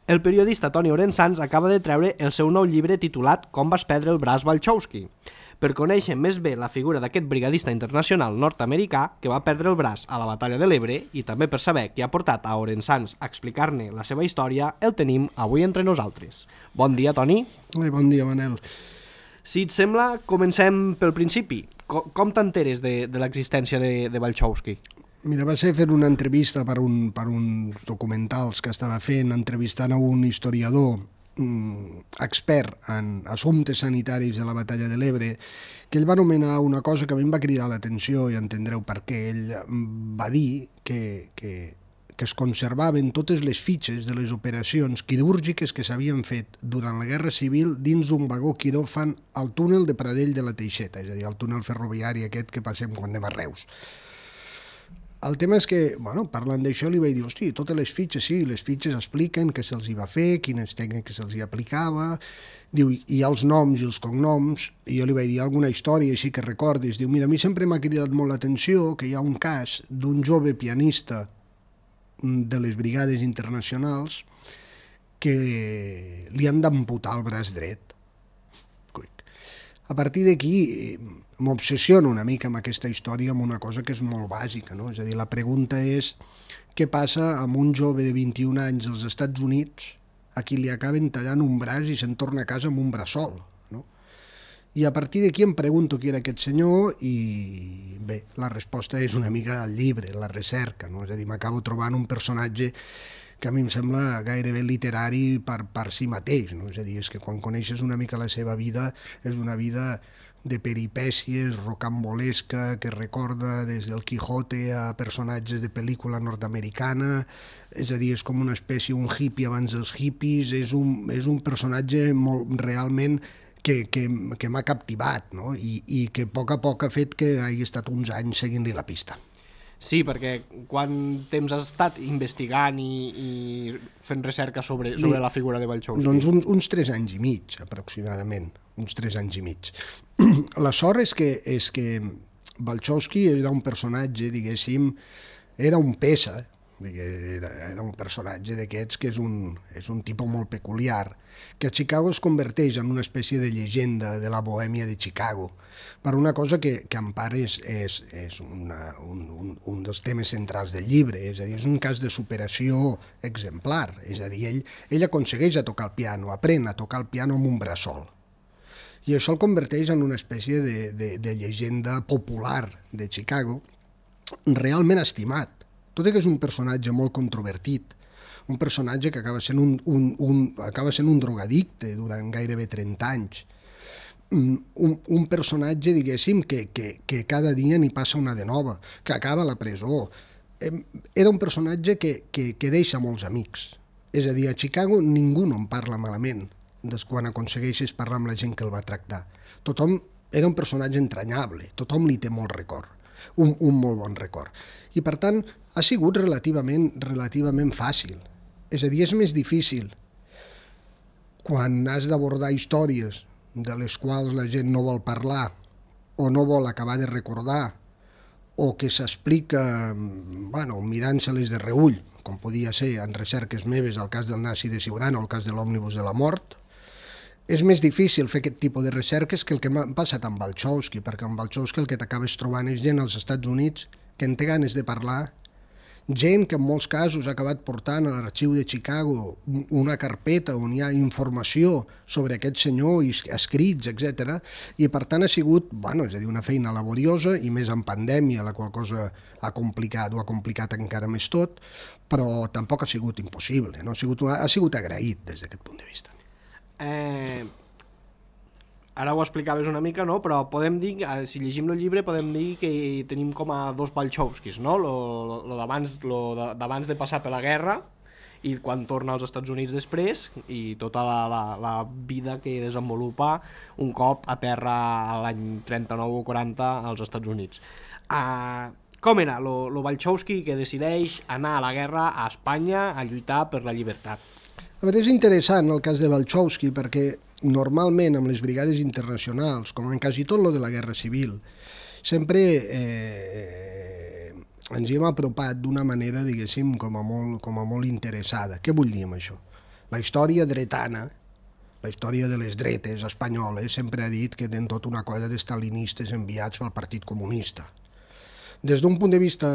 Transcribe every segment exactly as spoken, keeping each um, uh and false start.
El periodista Toni Orensanz acaba de treure el seu nou llibre titulat Com vas perdre el braç Walchowski. Per conèixer més bé la figura d'aquest brigadista internacional nord-americà que va perdre el braç a la batalla de l'Ebre i també per saber què ha portat a Orensanz a explicar-ne la seva història, el tenim avui entre nosaltres. Bon dia, Toni. Ai, bon dia, Manel. Si et sembla, comencem pel principi. Com, com t'enteres de, de l'existència de, de Walchowski? Mira, va ser fer una entrevista per, un, per uns documentals que estava fent, entrevistant a un historiador mm, expert en assumptes sanitaris de la batalla de l'Ebre, que ell va anomenar una cosa que a mi em va cridar l'atenció, i entendreu per què. Ell va dir que, que, que es conservaven totes les fitxes de les operacions quirúrgiques que s'havien fet durant la Guerra Civil dins d'un vagó quiròfan al túnel de Pradell de la Teixeta, és a dir, el túnel ferroviari aquest que passem quan anem a Reus. El tema és que, bueno, parlant d'això, li vaig dir, hosti, totes les fitxes, sí, les fitxes expliquen què se'ls hi va fer, quines tècniques se'ls hi aplicava, diu, hi ha els noms i els cognoms, i jo li vaig dir alguna història així que recordis, diu, mira, a mi sempre m'ha cridat molt l'atenció que hi ha un cas d'un jove pianista de les brigades internacionals que li han d'amputar el braç dret. A partir d'aquí m'obsessiono una mica amb aquesta història, amb una cosa que és molt bàsica, no? És a dir, la pregunta és què passa amb un jove de vint-i-un anys als Estats Units a qui li acaben tallant un braç i se'n torna a casa amb un braçol, no? I a partir d'aquí em pregunto qui era aquest senyor i bé, la resposta és una mica al llibre, la recerca, no? És a dir, m'acabo trobant un personatge que a mi em sembla gairebé literari per, per si mateix, no? És a dir, és que quan coneixes una mica la seva vida, és una vida de peripècies, rocambolesca, que recorda des del Quijote a personatges de pel·lícula nord-americana, és a dir, és com una espècie, un hippie abans dels hippies, és un, és un personatge molt, realment que, que, que m'ha captivat, no? I, i que a poc a poc ha fet que hagi estat uns anys seguint-li la pista. Sí, perquè quant temps has estat investigant i, i fent recerca sobre, sobre la figura de Walchowski? Doncs uns, uns tres anys i mig, aproximadament, uns tres anys i mig. La sort és que, és que Walchowski era un personatge, diguéssim, era un peça, era un personatge d'aquests que és un, és un tipus molt peculiar, que a Chicago es converteix en una espècie de llegenda de la bohèmia de Chicago, per una cosa que, que en part és, és, és una, un, un, un dels temes centrals del llibre, és a dir, és un cas de superació exemplar, és a dir, ell, ell aconsegueix a tocar el piano, aprèn a tocar el piano amb un braçol, i això el converteix en una espècie de, de, de llegenda popular de Chicago, realment estimat, tot i que és un personatge molt controvertit, un personatge que acaba sent un, un, un, acaba sent un drogadicte durant gairebé trenta anys, un, un personatge, diguéssim, que, que, que cada dia n'hi passa una de nova, que acaba a la presó. Era un personatge que, que, que deixa molts amics. És a dir, a Chicago ningú no en parla malament des quan aconsegueixes parlar amb la gent que el va tractar. Tothom era un personatge entranyable, tothom li té molt record, un, un molt bon record. I per tant, ha sigut relativament, relativament fàcil. És a dir, és més difícil quan has d'abordar històries de les quals la gent no vol parlar o no vol acabar de recordar o que s'explica, bueno, mirant-se-les de reüll, com podia ser en recerques meves el cas del nazi de Siurana o el cas de l'òmnibus de la mort. És més difícil fer aquest tipus de recerques que el que m'ha passat amb Walchowski, perquè amb Walchowski el que t'acabes trobant és gent als Estats Units que en té ganes de parlar, gent que en molts casos ha acabat portant a l'arxiu de Chicago una carpeta on hi ha informació sobre aquest senyor, escrits, etcètera, i per tant ha sigut, bueno, és a dir, una feina laboriosa i més en pandèmia, la qual cosa ha complicat, ho ha complicat encara més tot, però tampoc ha sigut impossible, no? ha, sigut, ha sigut agraït des d'aquest punt de vista. Eh... Ara ho explicaves una mica, no? Però podem dir, si llegim el llibre, podem dir que tenim com a dos Walchowskis, no? Lo, lo, lo d'abans lo d'abans de passar per la guerra i quan torna als Estats Units després i tota la, la, la vida que desenvolupa un cop a terra l'any trenta-nou o quaranta als Estats Units. Uh, com era lo, lo Walchowski que decideix anar a la guerra a Espanya a lluitar per la llibertat? A veure, és interessant el cas de Walchowski perquè normalment amb les brigades internacionals, com en quasi tot lo de la Guerra Civil, sempre eh, ens hi hem apropat d'una manera, diguéssim, com a molt, com a molt interessada. Què vull dir amb això? La història dretana, la història de les dretes espanyoles, sempre ha dit que tenen tota una cosa d'estalinistes enviats pel Partit Comunista. Des d'un punt de vista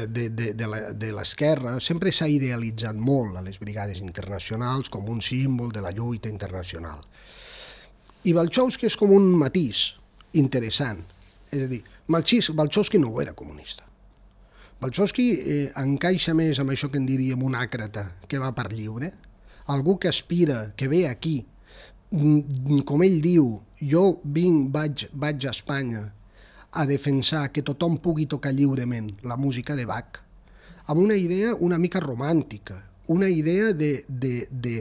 de, de, de l'esquerra, sempre s'ha idealitzat molt a les brigades internacionals com un símbol de la lluita internacional. I Balchowski és com un matís interessant. És a dir, Balchowski no ho era comunista. Balchowski eh, encaixa més amb això que en diríem un àcrata que va per lliure, algú que aspira, que ve aquí, com ell diu, jo vinc, vaig, vaig a Espanya a defensar que tothom pugui tocar lliurement la música de Bach, amb una idea una mica romàntica, una idea de, de, de,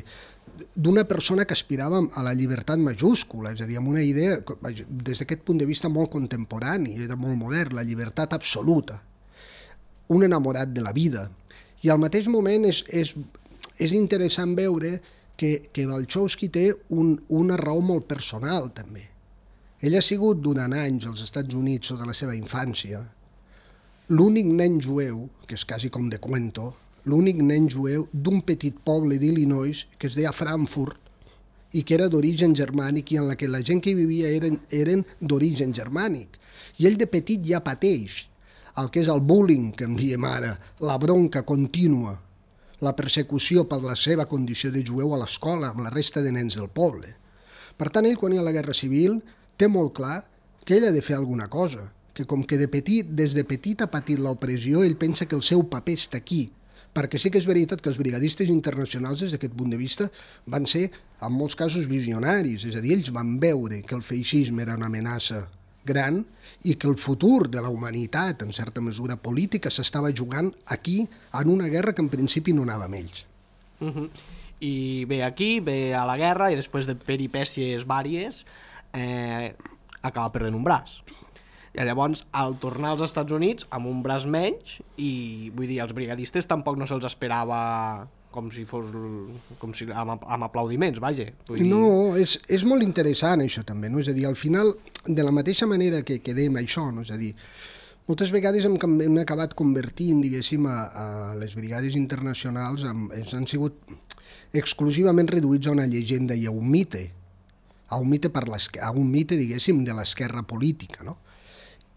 d'una persona que aspirava a la llibertat majúscula, és a dir, amb una idea, des d'aquest punt de vista molt contemporani, era molt modern, la llibertat absoluta, un enamorat de la vida. I al mateix moment és, és, és interessant veure que, que Balchowski té un, una raó molt personal, també. Ell ha sigut durant anys als Estats Units sota la seva infància l'únic nen jueu, que és quasi com de cuento, l'únic nen jueu d'un petit poble d'Illinois que es deia Frankfurt i que era d'origen germànic i en la que la gent que hi vivia eren, eren d'origen germànic. I ell de petit ja pateix el que és el bullying, que en diem ara, la bronca contínua, la persecució per la seva condició de jueu a l'escola amb la resta de nens del poble. Per tant, ell, quan hi ha la Guerra Civil, té molt clar que ell ha de fer alguna cosa, que com que de petit, des de petit ha patit l'opressió, ell pensa que el seu paper està aquí, perquè sí que és veritat que els brigadistes internacionals, des d'aquest punt de vista, van ser, en molts casos, visionaris, és a dir, ells van veure que el feixisme era una amenaça gran i que el futur de la humanitat, en certa mesura política, s'estava jugant aquí en una guerra que en principi no anava amb ells. Uh-huh. I ve aquí, ve a la guerra i després de peripècies vàries eh, acaba perdent un braç. I llavors, al tornar als Estats Units, amb un braç menys, i vull dir, els brigadistes tampoc no se'ls esperava com si fos com si, amb, amb aplaudiments, vaja. Vull dir... No, és, és molt interessant això també, no? És a dir, al final, de la mateixa manera que quedem això, no? És a dir, moltes vegades hem, hem acabat convertint, diguéssim, a, a les brigades internacionals, amb, han sigut exclusivament reduïts a una llegenda i a un mite, a un mite, per a un mite diguéssim, de l'esquerra política, no?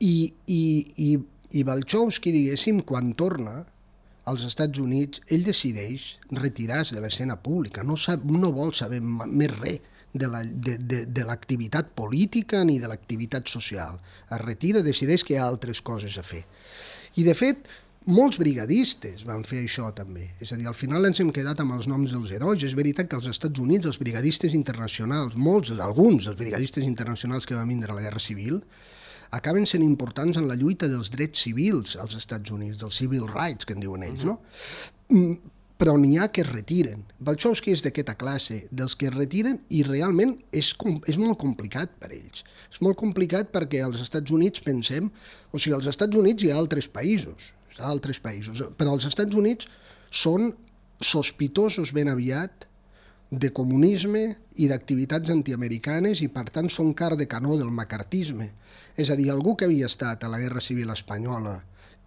I, i, i, i Balchowski, diguéssim, quan torna als Estats Units, ell decideix retirar-se de l'escena pública, no, sap, no vol saber més res de, la, de, de, de l'activitat política ni de l'activitat social. Es retira, decideix que hi ha altres coses a fer. I, de fet, molts brigadistes van fer això també. És a dir, al final ens hem quedat amb els noms dels herois. És veritat que als Estats Units els brigadistes internacionals, molts, alguns dels brigadistes internacionals que van vindre a la Guerra Civil, acaben sent importants en la lluita dels drets civils als Estats Units, dels civil rights, que en diuen ells, no? Però n'hi ha que es retiren. Balchowski és d'aquesta classe, dels que es retiren, i realment és, és molt complicat per ells. És molt complicat perquè als Estats Units pensem... O sigui, als Estats Units hi ha altres països, altres països, però els Estats Units són sospitosos ben aviat de comunisme i d'activitats antiamericanes i, per tant, són car de canó del macartisme. És a dir, algú que havia estat a la Guerra Civil Espanyola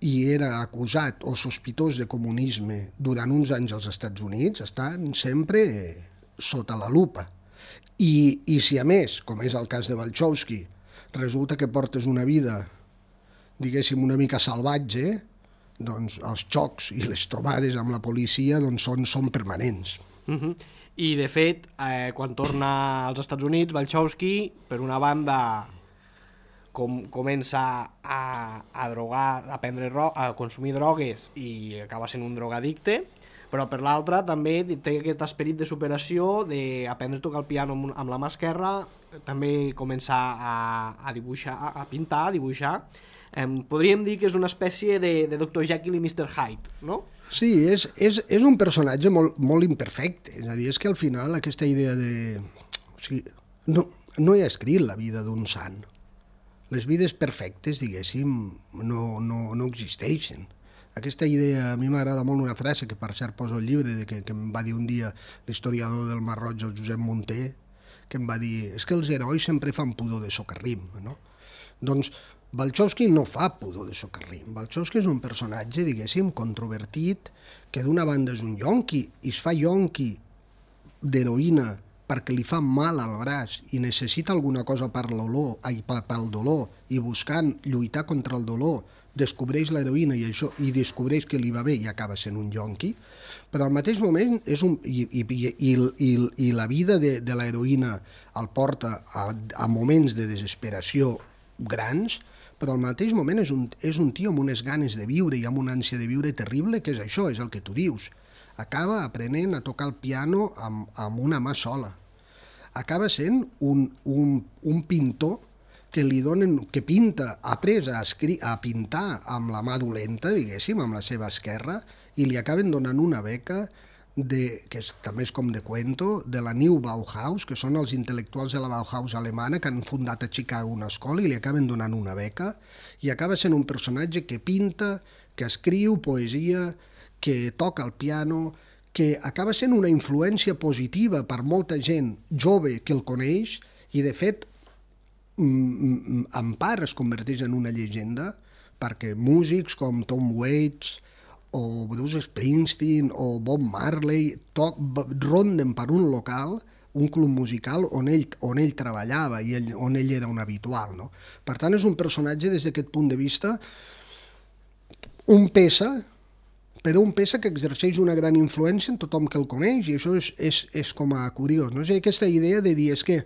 i era acusat o sospitós de comunisme durant uns anys als Estats Units estan sempre sota la lupa. I, i si a més, com és el cas de Balchowski, resulta que portes una vida, diguéssim, una mica salvatge, doncs els xocs i les trobades amb la policia doncs són, són permanents. Uh-huh. I, de fet, eh, quan torna als Estats Units, Balchowski, per una banda, com, comença a, a drogar, a, prendre, a consumir drogues i acaba sent un drogadicte, però per l'altra també té aquest esperit de superació, d'aprendre a tocar el piano amb, amb la mà esquerra, també comença a, a dibuixar, a pintar, a dibuixar. Eh, podríem dir que és una espècie de, de doctor Jekyll i mister Hyde, no? Sí, és, és, és un personatge molt, molt imperfecte, és a dir, és que al final aquesta idea de... O sigui, no, no hi ha escrit la vida d'un sant. Les vides perfectes, diguéssim, no, no, no existeixen. Aquesta idea, a mi m'agrada molt una frase que per cert poso al llibre, de que, que em va dir un dia l'historiador del Mar Roig, el Josep Munter, que em va dir, és que els herois sempre fan pudor de socarrim, no? Doncs Balchowski no fa pudor de socarrim. Balchowski és un personatge, diguéssim, controvertit, que d'una banda és un yonqui, i es fa yonqui d'heroïna perquè li fa mal al braç i necessita alguna cosa per l'olor, ai, pel dolor, i buscant lluitar contra el dolor, descobreix l'heroïna i, això, i descobreix que li va bé i acaba sent un yonqui, però al mateix moment és un, i, i, i, i, i la vida de, de l'heroïna el porta a, a moments de desesperació grans, però al mateix moment és un, és un tio amb unes ganes de viure i amb una ànsia de viure terrible, que és això, és el que tu dius. Acaba aprenent a tocar el piano amb, amb una mà sola. Acaba sent un, un, un pintor que li donen, que pinta, ha après a, escri, a pintar amb la mà dolenta, diguéssim, amb la seva esquerra, i li acaben donant una beca de, que és, també és com de cuento, de la New Bauhaus, que són els intel·lectuals de la Bauhaus alemana que han fundat a Chicago una escola i li acaben donant una beca, i acaba sent un personatge que pinta, que escriu poesia, que toca el piano, que acaba sent una influència positiva per molta gent jove que el coneix i, de fet, en part es converteix en una llegenda perquè músics com Tom Waits o Bruce Springsteen o Bob Marley toc, ronden per un local, un club musical on ell, on ell treballava i ell, on ell era un habitual. No? Per tant, és un personatge des d'aquest punt de vista un peça, però un peça que exerceix una gran influència en tothom que el coneix, i això és, és, és com a curiós. No? És aquesta idea de dir, és que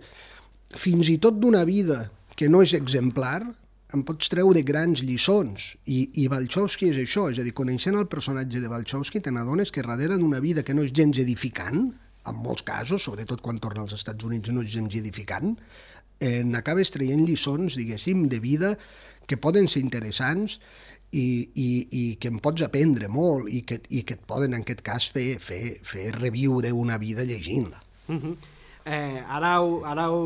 fins i tot d'una vida que no és exemplar, en pots treure grans lliçons, i, i Balchowski és això, és a dir, coneixent el personatge de Balchowski, te n'adones que darrere d'una vida que no és gens edificant, en molts casos, sobretot quan torna als Estats Units no és gens edificant, eh, n'acabes traient lliçons, diguéssim, de vida que poden ser interessants, I, i, i que en pots aprendre molt i que, i que et poden, en aquest cas, fer, fer, fer reviure una vida llegint-la. Uh-huh. eh, ara ho, ara ho,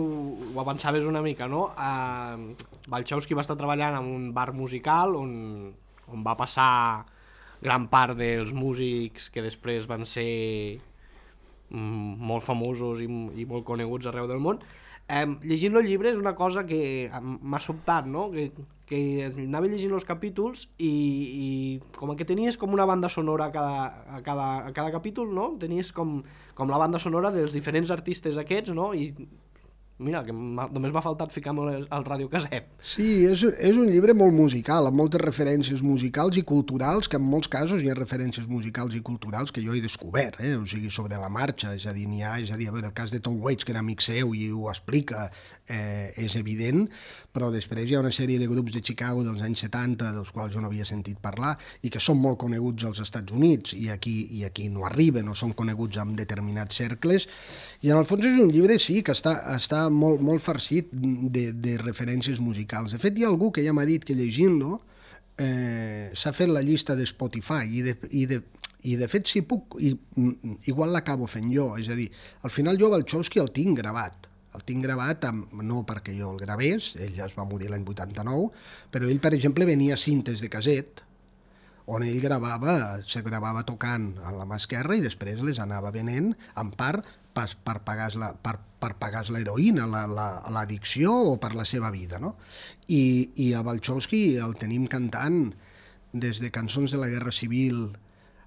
ho avançaves una mica, no? Eh, Balchowski va estar treballant en un bar musical on, on va passar gran part dels músics que després van ser mm, molt famosos i, i molt coneguts arreu del món. Eh, llegint el llibre és una cosa que m'ha sobtat, no? Que, que anava llegint els capítols i, i com que tenies com una banda sonora a cada, a cada, a cada capítol, no? Tenies com, com la banda sonora dels diferents artistes aquests, no? I mira, que només m'ha faltat ficar-me el radiocasset. Sí, és, és un llibre molt musical, amb moltes referències musicals i culturals, que en molts casos hi ha referències musicals i culturals que jo he descobert, eh? O sigui, sobre la marxa, és a dir, n'hi ha, és a dir, el cas de Tom Waits, que era amic seu i ho explica, eh, és evident, però després hi ha una sèrie de grups de Chicago dels anys setanta, dels quals jo no havia sentit parlar, i que són molt coneguts als Estats Units, i aquí, i aquí no arriben, o són coneguts en determinats cercles, i en el fons és un llibre, sí, que està, està molt, molt farcit de, de referències musicals. De fet, hi ha algú que ja m'ha dit que llegint-lo eh, s'ha fet la llista de Spotify i de, i de, i de fet, si puc, i, igual l'acabo fent jo, és a dir, al final jo Balchowski el tinc gravat, el tinc gravat, amb, no perquè jo el gravés, ell ja es va morir l'any vuitanta-nou, però ell, per exemple, venia cintes de caset, on ell gravava, se gravava tocant a la mà esquerra i després les anava venent, en part per, per pagar la, per, per pagar l'heroïna, l'addicció la, la, o per la seva vida, no? I, i a Balchowski el tenim cantant des de cançons de la Guerra Civil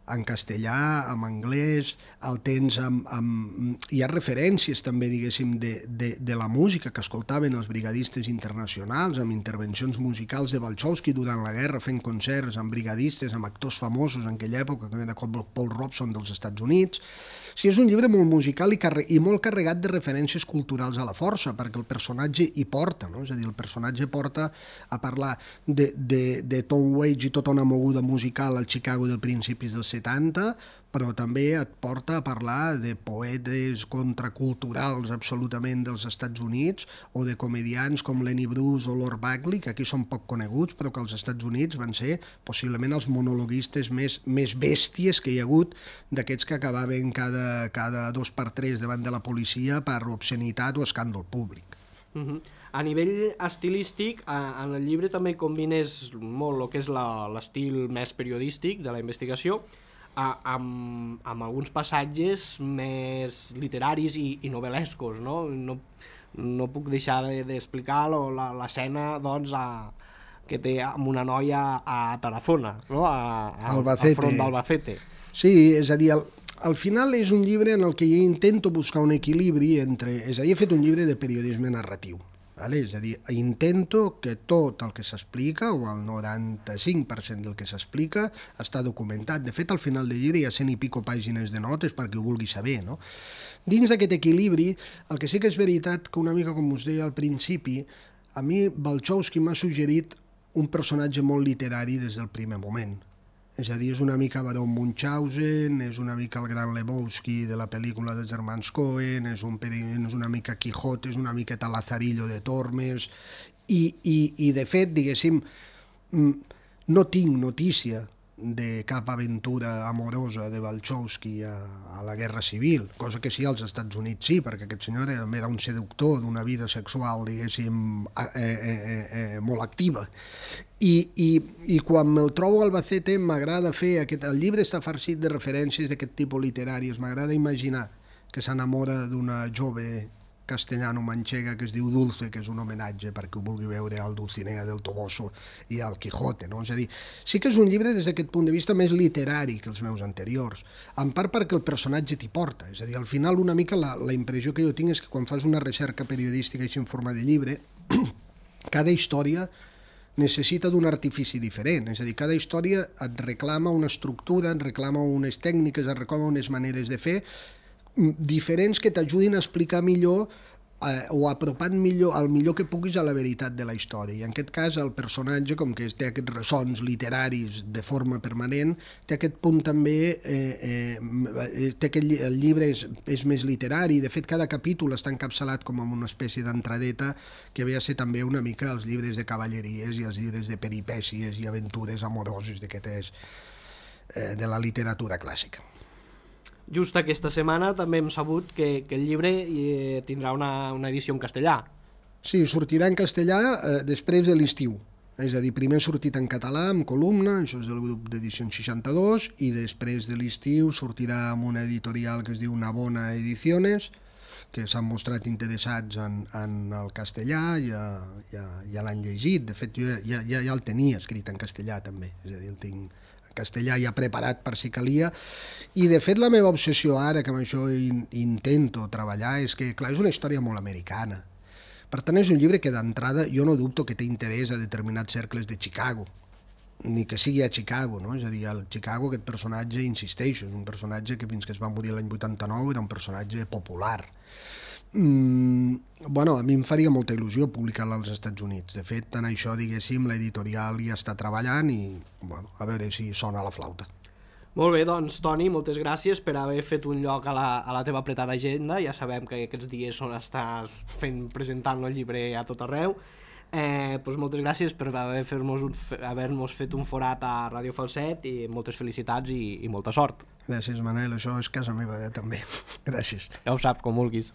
en castellà, en anglès, el tens amb, amb... Hi ha referències també, diguéssim, de, de, de la música que escoltaven els brigadistes internacionals, amb intervencions musicals de Balchowski durant la guerra, fent concerts amb brigadistes, amb actors famosos en aquella època, com era Paul Robeson dels Estats Units. Sí, és un llibre molt musical i, carre... i molt carregat de referències culturals a la força, perquè el personatge hi porta, no? És a dir, el personatge porta a parlar de, de, de Tom Waits i tota una moguda musical al Chicago de principis dels setanta, però també et porta a parlar de poetes contraculturals absolutament dels Estats Units o de comedians com Lenny Bruce o Lord Bagley, que aquí són poc coneguts, però que als Estats Units van ser possiblement els monologuistes més, més bèsties que hi ha hagut, d'aquests que acabaven cada, cada dos per tres davant de la policia per obscenitat o escàndol públic. Uh-huh. A nivell estilístic, en el llibre també combines molt el que és l'estil més periodístic de la investigació, amb, amb alguns passatges més literaris i, i novel·lescos, no? No, no puc deixar d'explicar de, l'escena doncs, a, que té amb una noia a Tarazona, no? A, a, al front d'Albacete. Sí, és a dir, el, al final és un llibre en el que jo intento buscar un equilibri entre... És a dir, he fet un llibre de periodisme narratiu. Vale? És a dir, intento que tot el que s'explica, o el noranta-cinc per cent del que s'explica, està documentat. De fet, al final del llibre hi ha cent i pico pàgines de notes perquè ho vulgui saber, no? Dins d'aquest equilibri, el que sí que és veritat que una mica com us deia al principi, a mi Balchowski m'ha suggerit un personatge molt literari des del primer moment. És a dir, és una mica Baron Munchausen, és una mica el gran Lebowski de la pel·lícula dels germans Coen, és, un, és una mica Quijote, és una miqueta Lazarillo de Tormes, i, i, i de fet, diguéssim, no tinc notícia de cap aventura amorosa de Balchowski a, a la Guerra Civil, cosa que sí als Estats Units sí, perquè aquest senyor era, era un seductor d'una vida sexual, diguéssim, eh, eh, eh, molt activa. I, i, i quan me'l trobo a Albacete m'agrada fer... Aquest, el llibre està farcit de referències d'aquest tipus literaris. M'agrada imaginar que s'enamora d'una jove castellano-manxega que es diu Dulce, que és un homenatge perquè ho vulgui veure al Dulcinea del Toboso i al Quijote, no? És a dir, sí que és un llibre des d'aquest punt de vista més literari que els meus anteriors, en part perquè el personatge t'hi porta, és a dir, al final una mica la, la impressió que jo tinc és que quan fas una recerca periodística així en forma de llibre, cada història necessita d'un artifici diferent, és a dir, cada història et reclama una estructura, et reclama unes tècniques, et reclama unes maneres de fer diferents que t'ajudin a explicar millor eh, o apropant millor, el millor que puguis a la veritat de la història. I en aquest cas el personatge, com que té aquests ressons literaris de forma permanent, té aquest punt també, eh, eh, té aquest, el llibre és, és més literari, de fet cada capítol està encapçalat com amb una espècie d'entradeta que ve a ser també una mica els llibres de cavalleries i els llibres de peripècies i aventures amoroses d'aquestes eh, de la literatura clàssica. Just aquesta setmana també hem sabut que, que el llibre eh, tindrà una, una edició en castellà. Sí, sortirà en castellà eh, després de l'estiu. És a dir, primer ha sortit en català, amb columna, això és del grup d'Edicions seixanta-dos, i després de l'estiu sortirà amb una editorial que es diu Navona Ediciones, que s'han mostrat interessats en, en el castellà, ja, ja, ja l'han llegit. De fet, jo ja, ja, ja el tenia escrit en castellà també, és a dir, el tinc castellà ja preparat per si calia, i de fet la meva obsessió ara, que amb això in, intento treballar, és que, clar, és una història molt americana. Per tant, és un llibre que d'entrada jo no dubto que té interès a determinats cercles de Chicago, ni que sigui a Chicago, no? És a dir, al Chicago aquest personatge, insisteixo, és un personatge que fins que es va morir l'any vuitanta-nou era un personatge popular. Mm, bueno, a mi em faria molta il·lusió publicar-la als Estats Units. De fet, en això, diguéssim, l'editorial ja està treballant i, bueno, a veure si sona la flauta. Molt bé, doncs, Toni, moltes gràcies per haver fet un lloc a la, a la teva apretada agenda. Ja sabem que aquests dies on estàs fent, presentant el llibre a tot arreu. Eh, doncs moltes gràcies per haver-nos haver fet un forat a Ràdio Falset i moltes felicitats i, i molta sort. Gràcies, Manel, això és casa meva, eh, també. Gràcies. Ja ho saps, com vulguis.